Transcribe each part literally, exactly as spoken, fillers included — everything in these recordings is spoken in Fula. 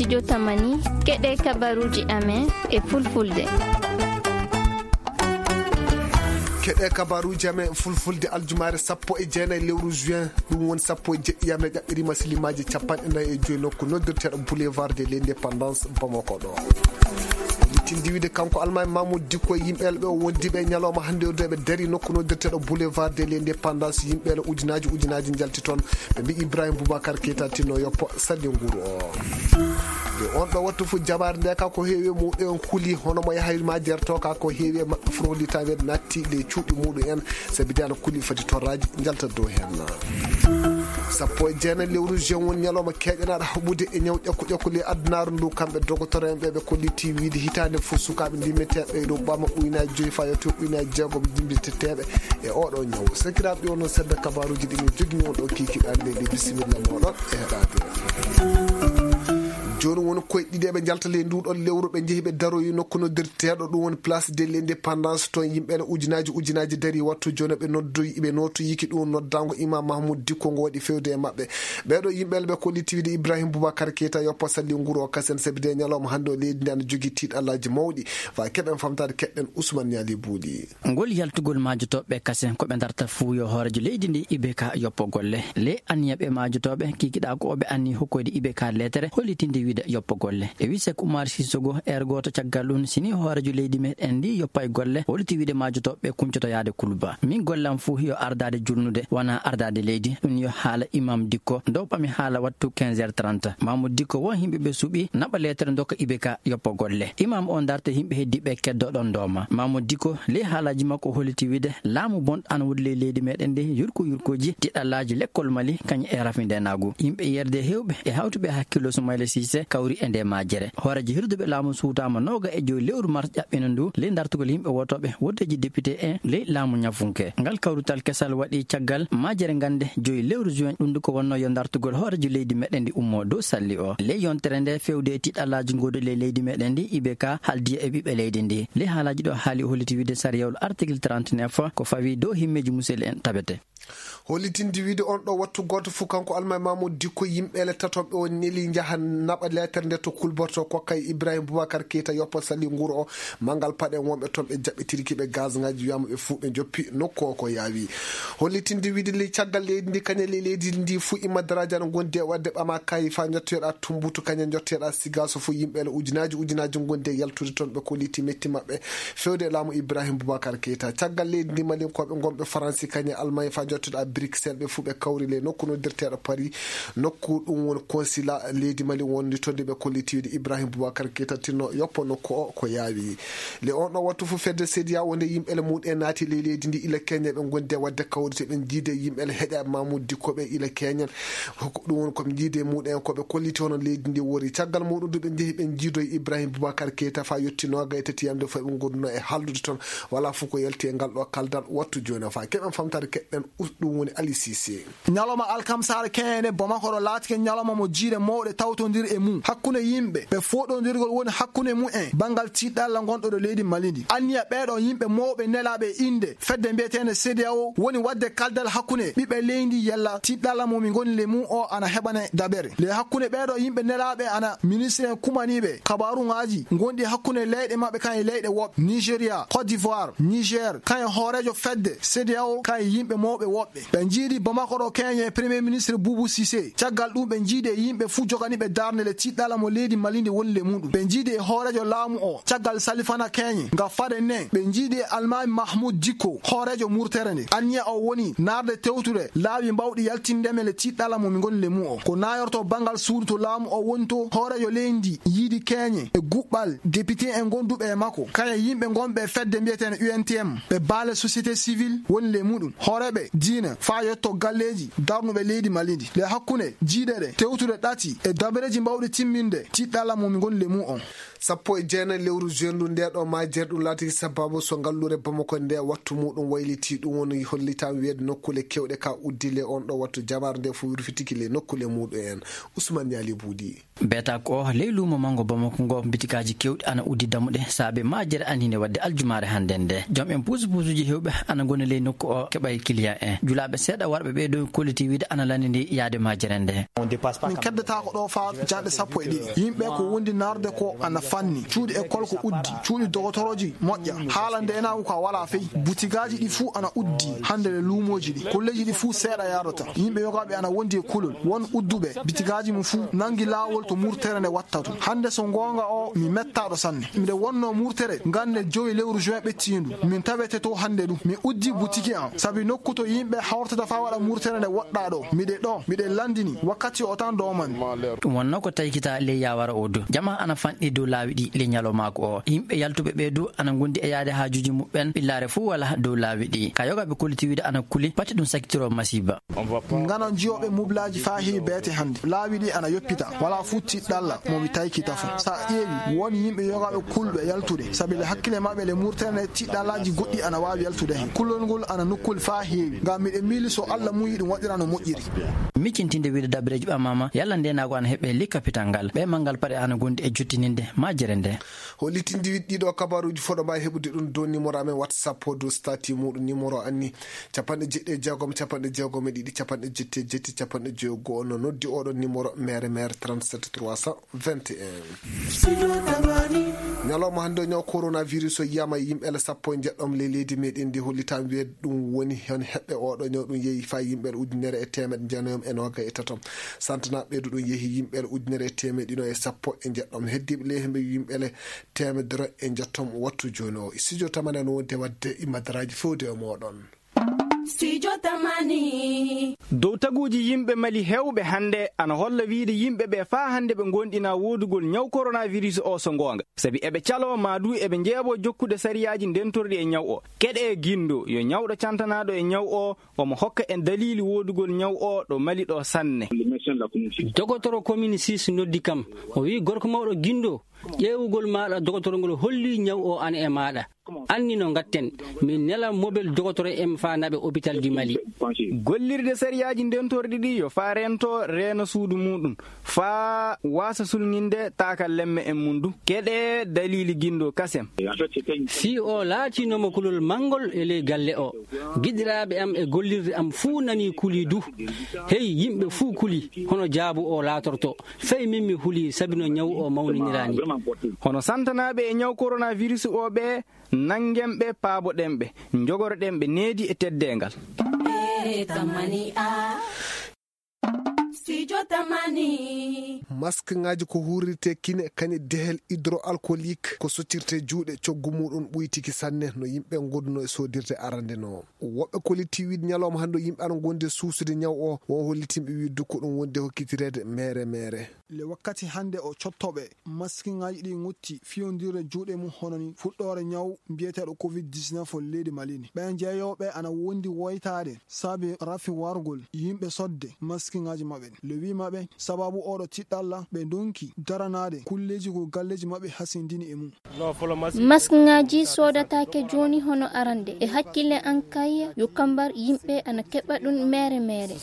Jotamani, keɗe kabaruuji amen e fulfulde. Keɗe kabaruuji amen e fulfulde aljumaare sappo e jeenayi lewru juin, ɗum woni sappo e jeɗɗi yamre ƴaɓɓiriima silimaaji capanɗe nayi e joyi nokku noddirteeɗo Boulevard de l'Indépendance Bamako ɗo. Tindi wiide kanko Almaami Mamoudou Dicko e yimɓe ɓe o wondi ɓe ñalawma hannde o ɓe dari nokku noddirteeɗo Boulevard de l'Indépendance, yimɓe ɓe ujunaaji ujunaaji njalti toon. Ɓe mbi Ibrahim Boubacar Keita tinno yoppo salli nguuru o. E on ɗo wattu fof jabaare nde ka ko heewi e muɗum en kuli hono mo yahay ma jerto ka ko heewi e maɓɓe fof holli taweede natti le cuuɗi muɗum en. Sabi de ana kuli foti torraji njalta dow heen. Sappo e jeenayi lewru juin woni ñalawma keeƴanaaɗo haɓude e ñaw ƴakku ƴakku le addunaru ndu. Kamɓe dogotoreeɓe ɓe kolliti wiide hitaande fof sukaaɓe ndimmeteeɓe e ɗo ɓama ujunaaji joyi fayotoo ujunaaji jeegom ndimmeteteeɓe e oɗo ñaw. Sakiraaɓe, ɗi wonno seeɗa kabaruuji ɗi min jogini on ɗo kiikiɗe ɗe. Bisimilla moɗon e heɗaade. Jooni woni koye ɗiɗi eɓe njalta ley nduɗon lewru, ɓe njehi ɓe daroyi nokku noddirteeɗo ɗum woni Place de l'Indépendance. Toon yimɓe ene ujunaaji ujunaaji dari wattu jooni ɓe noddoyi, ɓe nootoyiki ɗum noddaango Imam Mahmoud Dicko ngo waɗi fewde e maɓɓe. Ɓeeɗo yimɓe ɓe kolliti wiide Ibrahim Boubacar Keita yoppo salli nguuru o kasen, sabi de ñalawma hannde o leydi ndi ana jogii tiiɗallaaji mawɗi. Fa keɓen famtaade keɗɗen Ousmane Niali Buuɗi. Ngol yaltugol maajotooɓe kasen ko ɓe darta fuu yo hooreejo leydi ndi I B K yoppo golle. Le anniya ɓe maajotooɓe kikiɗa ko ɓe anni hokkoyde I B K leetere hollitinde wiide yoppo golle. E wi Seek Umar Sissogo, heure gooto caggal ɗum, si ni hooreejo leydi meɗen ndi yoppay golle, holliti wiide maajotooɓe kuncoto yaade Kuluba. Min gollam fuu yo ardaade julnude, wona ardaade leydi. Ɗum yo haala Imam Dicko, dow ɓami haala wattu quinze heures trente. Mamoudou Dicko won yimɓe ɓe suɓi naɓa leetere dokka I B K yoppo golle. Imam o darta yimɓe heddiɓe keddo ɗon dooma. Mamoudou Dicko ley haalaaji makko holliti wiide laamu bon ana woodi ley leydi meɗen ndi yurko yurkoji tiɗallaaji lekkol Mali kañ e rafindenaagu. Yimɓe yerde hewɓe e hawtuɓe hakkillo Soumaïla Cissé kawri e nde majere. Hooreejo hirduɓe laamu suutaama nooga e joyi lewru mars ƴaɓɓino ndu ley dartugol yimɓe wootooɓe wooteeji député en ley laamu ñafunke. Ngal kawrital kesal waɗi caggal majere ngannde joyi lewru juin, ɗum ndu ko wonno yo dartugol hooreejo leydi meɗen ndi ummo dow salli o. Ley yontere nde fewde e tiɗallaaji ngoodi ley leydi meɗen ndi, I B K haldi e ɓiɓɓe leydi ndi. Ley haalaaji ɗo haali o holliti wiide sariyawol article trente-neuf ko fawi dow himmeeji musel en tabete. Hollitinde wiide on ɗo wattu gooto fof kanko Almaami Mamoudou Dicko yimɓe le tatoɓe o neli njaha naɓa leetere nde to kulborto kokka e Ibrahim Boubacar Keita yoppo salli nguuru o. Manngal paɗen wonɓe toon ɓe jaɓɓitirki ɓe gaz ngaji wiyama ɓe fuu ɓe joppi nokku o ko yaawi. Hollitinde wiide le caggal leydi ndi kañe le leydi ndi fuu imma daraja no gondi e waɗde ɓama kayi fa jottoyoɗa tumbutu kañe jottoyoɗa sigaso fof yimɓe le ujunaaji ujunaaji gondi e yaltude toon ɓe kolliti metti maɓɓe fewde e laamu Ibrahim Boubacar Keita. Caggal leydi ndi Malinkoɓe gonɓe Faransi kañe Almañ fa jottoɗa Bruxelles ɓe fuu ɓe kawri le nokku noddirteɗo Paris. Nokku ɗum woni consulat leydi Mali wondi toon de ɓe kolliti wiide Ibrahim Boubacar Keita tinno yoppo nokku o ko yaawi. Le on ɗo wattu fof fedde CEDEAO wonde yimɓe le muɗum en naati ley leydi ndi ila Kenya ɓe gondi e waɗde kawrite ɓe jiide yimɓe le heƴa Mamoudou Dicko ɓe ila Kenya. Ko ɗum woni ko ɓe jiide muɗum en ko ɓe kolliti hono leydi ndi wori. Caggal muɗum du ɓe jehi ɓe jiidoyi Ibrahim Boubacar Keita fa yetti nooga e tati yamde fof ɓe gonduno e hallude toon. Wala fof ko yalti e ngal ɗo kaldal wattu jooni o fa keɓen famtare keɗɗen us ɗum woni Ali Cissé. Ñalawma alkamsaare keñe Bamako ɗo laatike ñalawma mo jiiɗe mawɗe tawtondir e mum hakkunde yimɓe ɓe fooɗondirgol woni hakkunde mum en banngal tiɗɗalla ngonɗo ɗo leydi Mali ndi. Anniya ɓeeɗo yimɓe mawɓe nelaaɓe e innde fedde mbiyeteende CEDEAO woni waɗde kaldal hakkunde ɓiɓɓe leydi yalla tiɗɗalla mo mi ngoni le mum o ana heɓane daɓere. Le hakkunde ɓeeɗo yimɓe nelaaɓe ana ministre en kumaniiɓe kabaruŋaaji ngonɗi hakkunde leyɗe maɓɓe kan e leyɗe woɓɓe Nigeria, Côte d'Ivoire, Niger, kan e hooreejo fedde CEDEAO kan e yimɓe mawɓe woɓɓe. Ɓe njiidi Bamako ɗo keñe Premier Ministre Boubou Cissé. Caggal ɗum ɓe njiidi e yimɓe fuu joganiiɓe darnde le tiɗɗalla mo leydi Mali ndi woni le muɗum. Ɓe njiidi e hooreejo laamu o caggal Salifana keñe nga fade nden. Ɓe njiidi e Almaami Mahmoud Dicko hooreejo murtere nde. Anniya o woni naarde tewtude laawi mbawɗi yaltinde men le tiɗɗalla mo mi ngoni le mum o. Ko naayorto banngal suudu to laamu o woni to hooreejo leydi ndi yiidi keñe e guɓɓal député en gonduɓe e makko. Kañe yimɓe gonɓe e fedde mbiyeteende U N T M ɓe baale société civile woni le muɗum. Hooreeɓe diina faa yetto galleeji darnuɓe leydi Mali ndi. Le hakkunde jiiɗe ɗe tewtude ɗati e dabareeji mbawɗi timminde tiɗɗalla mo mi ngoni le mum on. Sappo e jeenayi lewru juin ndu, nde ɗo majere ɗum laatiki sababu so ngalluure Bamako nde wattu muɗum wayliti. Ɗum woni hollitaama wiyeede nokkuule keewɗe ka uddi le on ɗo wattu, jama'aare nde fof wirfitiki le nokkuule muɗum en. Ousmane Yali Buudi. Beetaako o ley luumo manngo Bamako ngo, bitikaaji keewɗi ana uddi dammuɗe saabe majere anniinde waɗde aljumaare hannde nde. Joom en puusupuusuuji heewɓe ana ngoni ley nokku o keɓay kiliyan en. Julaaɓe seeɗa warɓe ɓee dow kolliti wiide ana lanndini yaade majere nde. Min keddataako ɗo faa janɗe sappo e ɗiɗi. Yimɓe ko wondi narde ko ana fanni. Cuuɗi école ko uddi. Cuuɗi dogotorooji moƴƴa. Haala ndeenaagu ka walaa fey. Butigaaji ɗi fuu ana uddi. Hannde le luumooji ɗi. Kolleeji ɗi fuu seeɗa yaadata. Yimɓe yogaaɓe ana wondi e kulol. Won udduɓe bitigaaji mum fuu nangi laawol to murtere nde watta to. Hannde so ngoonga o mi mettaaɗo sanne. Miɗe wonnoo murtere ngannde jowi lewru juin ɓettiindu. Min tawete to hannde ɗum. Mi uddi butiki am. Sabi nokku to yimɓe hawrtata faa waɗa murtere nde woɗɗaa ɗo. Miɗe ɗo. Miɗe lanndini. Wakkati o tan doomani. Ɗum wonnoo ko taykita ley yaawara o du. Jama ana fanɗi dow laawi ɗi ley ñalawmaaku o. Yimɓe yaltuɓe ɓee du ana ngondi e yaade haajuuji muɓɓen. Ɓillaare fuu walaa dow laawi ɗi. Ka yogaaɓe kolliti wiide ana kuli. Pati ɗum sakitiro masiiba. Ngano jiyooɓe mublaaji faa heewi beete hannde. Laawi ɗi ana yoppita. Walaa fuu tiɗɗalla mo mi taykita fuu. Sa ƴeewi, won yimɓe yogaaɓe kulɓe yaltude. Sabi le hakkille maɓɓe le murtere nde tiɗɗallaaji goɗɗi ana waawi yaltude heen. Kulol ngol ana nokkuule faa heewi. Ngam miɗe miili so Alla muyi ɗum waɗira no moƴƴiri. Miccintinde wiide dabareeji ɓamaama, yalla ndeenaagu ana heɓe ley kapital ngal. Ɓe manngal paɗe ana gondi e jottininde majere nde. Hollitinde wiide ɗiɗo kabaruuji fof ɗo mbaawi heɓude ɗum dow numéro amen WhatsApp o dow statut muɗum. Numéro anni capanɗe jeɗɗi e jeegom, capanɗe jeegom e ɗiɗi, capanɗe jetti e jetti, capanɗe jeego. No noddi oɗo numéro mere mere trente-sept trois cent vingt et un. Ñalawma hannde o ñaw coronavirus o yiyama e yimɓe sappo e jeɗɗo ley leydi meɗen ndi. Hollitaama wiyeede ɗum woni heen heɓɓe oɗo ñaw ɗum yehi faa yimɓe ujunere e teemeɗɗe jeenayi e noogay e tato. Santanaaɓe ɓeydu ɗum yehi yimɓe ujunere e teemeɗɗe ɗiɗo e sappo e jeɗɗo. Heddiiɓe ley hemɓe yimɓe le teemedere e njettom wattu jooni o. Studio Tamani no wonde waɗde imadaraaji fewde e mooɗon. Studio Tamani. Dow taguuji yimɓe Mali heewɓe hannde ana holla wiide yimɓe ɓe faa hannde ɓe ngonɗinaa woodugol ñaw coronavirus o so ngoonga. Sabi eɓe caloo maa du eɓe njeeɓoo jokkude sariyaaji ndentorɗi e ñaw o. Keɗee Gindo yo ñawɗo cantanaaɗo e ñaw o, omo hokka en daliili woodugol ñaw o ɗo Mali ɗo sanne. Dogotoro commune six noddi kam. O wi'i gorko mawɗo Gindo, ƴeewugol maaɗa dogotoro ngol holli ñaw o ana e maaɗa. Anni no ngatten, min nela mobel dogotoro en faa naɓe hôpital du Mali. Gollirde sariyaaji ndentorɗi ɗi yo faa rento reena suudu muɗum, faa waasa sulŋinde taakal lemme en mum du. Keɗee daliili Gindo kasem. Fii o laatinooma kulol manngol e ley galle o. Giɗiraaɓe am e gollirde am fuu nanii kulii du. Hey, yimɓe fuu kulii, hono jaabu o laatorto. Fay min mi hulii sabi no ñaw o mawniniraani. Hono santanaaɓe e ñaw coronavirus o ɓe, nanngen ɓe, paaboɗen ɓe, njogorɗen ɓe needi e teddeengal. Studio Tamani. Maskŋaaji ko huurirtee kine, kañe dehel hydroalcoolique, ko sottirtee juuɗe, coggu muɗum ɓuytiki sanne no yimɓe ngonduno e soodirde arande no. Woɓɓe kollitii wiide ñalawma hannde o yimɓe ana ngondi e suusude ñaw o, wo hollitinɓe wiide ko ɗum wondi hokkitireede mere mere. Le wakkati hannde o cottooɓe maskŋaaji ɗi ŋutti fiyondirde juuɗe mum hono ni fuɗɗoore ñaw mbiyeteeɗo covid dix-neuf o leydi Mali ni. Ɓen jeeyooɓe ana wondi woytaade saabe rafi wargol yimɓe sodde maskŋaaji maɓɓe. Le wi maɓɓe sababu oɗo tiɗɗalla ɓe ndonki daranaade kulleeji ko galleeji maɓɓe hasindini e mum. Maskŋaaji soodataake jooni hono arande. E hakkille an kay yo kambar yimɓe ana keɓa ɗum mere mere.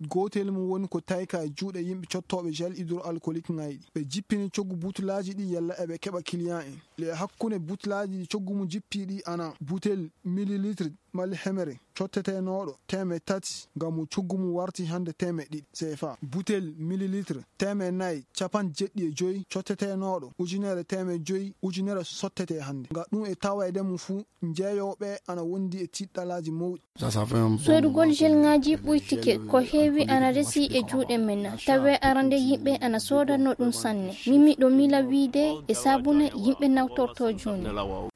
Gootel mum woni ko tayka e juuɗe yimɓe cottooɓe gel hydroalcoolique ŋayɗi. Ɓe jippini coggu butulaaji ɗi yalla eɓe keɓa client en. Le hakkunde butulaaji ɗi coggu mum jippi ɗi ana butel millilitre mali hemere cottetenooɗo teemeɗɗe tati ngam mo coggu mum warti hannde teemeɗɗe ɗiɗi C F A. Butel millilitre teemeɗɗe nayi capanɗe jeɗɗi e joyi cottetenooɗo ujunere teemeɗɗe joyi ujunere sottete hannde. Nga ɗum e taweede mum fuu, jeeyooɓe ana wondi e tiɗɗalaaji mawɗi. Soodugol gelŋaaji ɓuytike ko heewi ana resi e juuɗe men. Tawee arande yimɓe ana soodanno ɗum sanne. Min miɗo miila wiide e saabune yimɓe nawtorto jooni.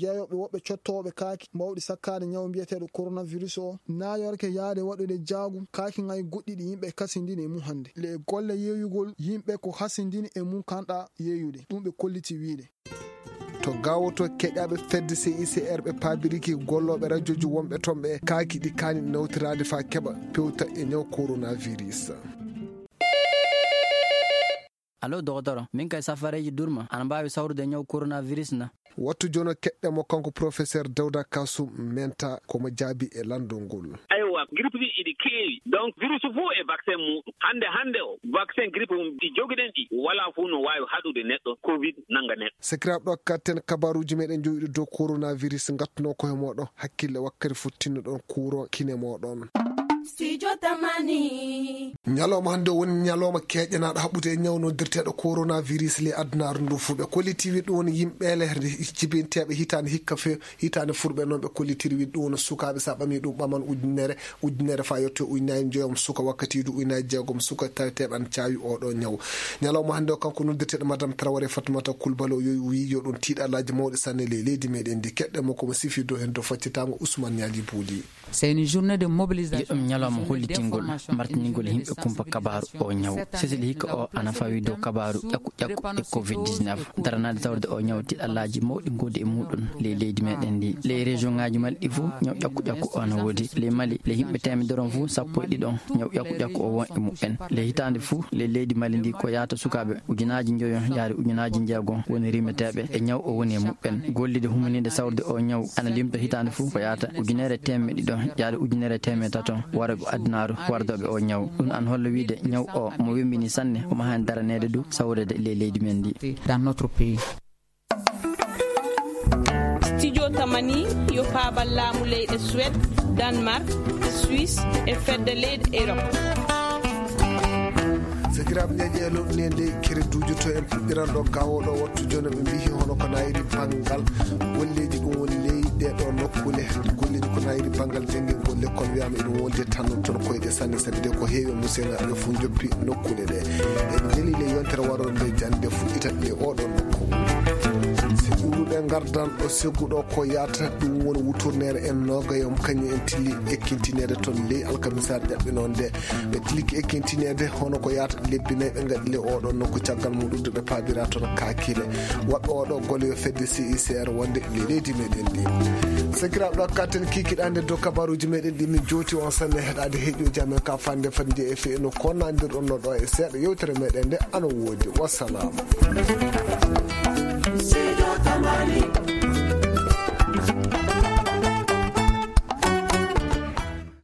Jeeyooɓe woɓɓe cottooɓe kaaki mawɗi sakkaade ñaw mbiyeteeɗo coronavirus o naayorke yaade waɗude jaagu kaaki ŋay goɗɗi ɗi yimɓe kasindini e mum hannde. Le golle yeeyugol yimɓe ko hasindini e mum kanɗa yeeyude. Ɗum ɓe kolliti wiide. To gawoto keƴaaɓe fedde C I C R ɓe paabiriki gollooɓe rajooji wonɓe toon ɓe kaaki ɗi kaani nawtiraade faa keɓa pewta e ñaw coronavirus. Allo, dogotoro, min kay safareeji durma ana mbaawi sawrude ñaw coronavirus na? Wattu jono keɗɗe mo kanko professeur Dawda Kasum Menta, ko mo jaabi e lanndol ngol. Aywa, grippe ɗin iɗi keewi. Donc, virus fof e vaccin muɗum. Hannde, hannde o, vaccin grippe mum ɗi jogiɗen ɗi, walaa fof no waawi haɗude neɗɗo, covid nannga neɗɗo. Sakiraaɓe, ɗo katten kabaruuji meɗen jowiɗo dow coronavirus, ngattuno ko he moɗon hakkille wakkati fof tinnoɗon kuuron kine moɗon. Studio Tamani. Ñalawma hannde o woni ñalawma keeƴanaaɗo haɓɓude e ñaw noddirteeɗo coronavirus ley adunaaru ndu fuu. Ɓe kolliti wi ɗum woni yimɓe le jibinteeɓe hitaande hikka fe-, hitaande furɓe noon ɓe kollitiri wi ɗum woni sukaaɓe, so a ɓamii ɗum ɓaman ujunere, ujunere faa yetto ujunaaji njoyo suka, wakkatiidu ujunaaji jeegom suka taweteeɓe ana caawi oo ɗoo ñaw. Ñalawma hannde o kanko noddirteeɗo Madame Traoré Fatoumata Coulibaly o yo-, wii yo ɗum tiiɗalaaji mawɗi sanne ley leydi meɗen ndi. Keɗɗe mo ko mo sifi dow heen to faccitaango Ousmane Niali Bouli. C'est une journée de mobilisation. Ɗum ñalawma hollitingol martiningol yimɓe kumpa kabaaru o ñaw. Sesel hikka o ana fawi dow kabaaru ƴakku ƴakku e covid dix-neuf. Daranaade tawde o ñaw tiiɗalaaji mawɗi ngoodi e muɗum ley leydi meɗen ndi. Ley région ŋaaji Mali ɗi fof ñaw ƴakku ƴakku o ana woodi. Ley Mali, ley yimɓe teemedere on fof sappo e ɗiɗo ñaw ƴakku ƴakku o won e muɓɓen. Ley hitaande fof ley leydi Mali ndi ko yaata sukaaɓe ujunaaji njoyo yaari ujunaaji jeegom woni rimeteeɓe e ñaw o woni e muɓɓen. Gollide humaniinde sawrude o ñaw ana limta hitaande fof ko yaata ujunere teemedde ɗiɗo yaade ujunere teemedde tato warɓe adunaaru wardooɓe o ñaw. Ɗum ana holla wiide ñaw o mo wembini sanne, omo haani daraneede du sawreede ley leydi men ndi. Dans notre pays. Studio Tamani yo paabal laamu leyɗe Suède, Danemark, Suisse e fedde leyɗe Europe. Sakiraaɓe, ñaƴe e loɗɗunde nde kere duujoto en puɗɗiran ɗo gawo ɗo wattu jono ɓe mbihi hono ko nayri banngal golleeji ɗum woni ley ɗe ɗo nokkule. Golleeji ko nayri banngal jangingol lekkol wiyama eɗum wonde tan toon koyɗe sanne, sabi de ko heewi musenaaɓe fof joppi nokkule ɗe. En jeli le yontere waroore nde jande fuɗɗita ɗe oɗo nokku. Si ɓuruɗe ngardan ɗo segguɗo ko yaata ɗum woni wuturnere en noogayom kañum en tilli ekkintineede toon ley alkamisaare jaɓɓe noon nde. Ɓe tilki ekkintineede hono ko yaata lebbi nayi ɓe ngaɗi le oɗo nokku caggal muɗum de ɓe paabira toon kaakile. Waɗɗo oɗo golle yo fedde C I C R wonde le leydi meɗen ndi. Sakiraaɓe, ɗo katten kikiɗande dow kabaruuji meɗen ɗi min jowti on sanne heɗaade heeƴooji amen ka fande fande e fe no konnandirɗon no ɗo e seeɗa yewtere meɗen nde ana woodi. Wassalam.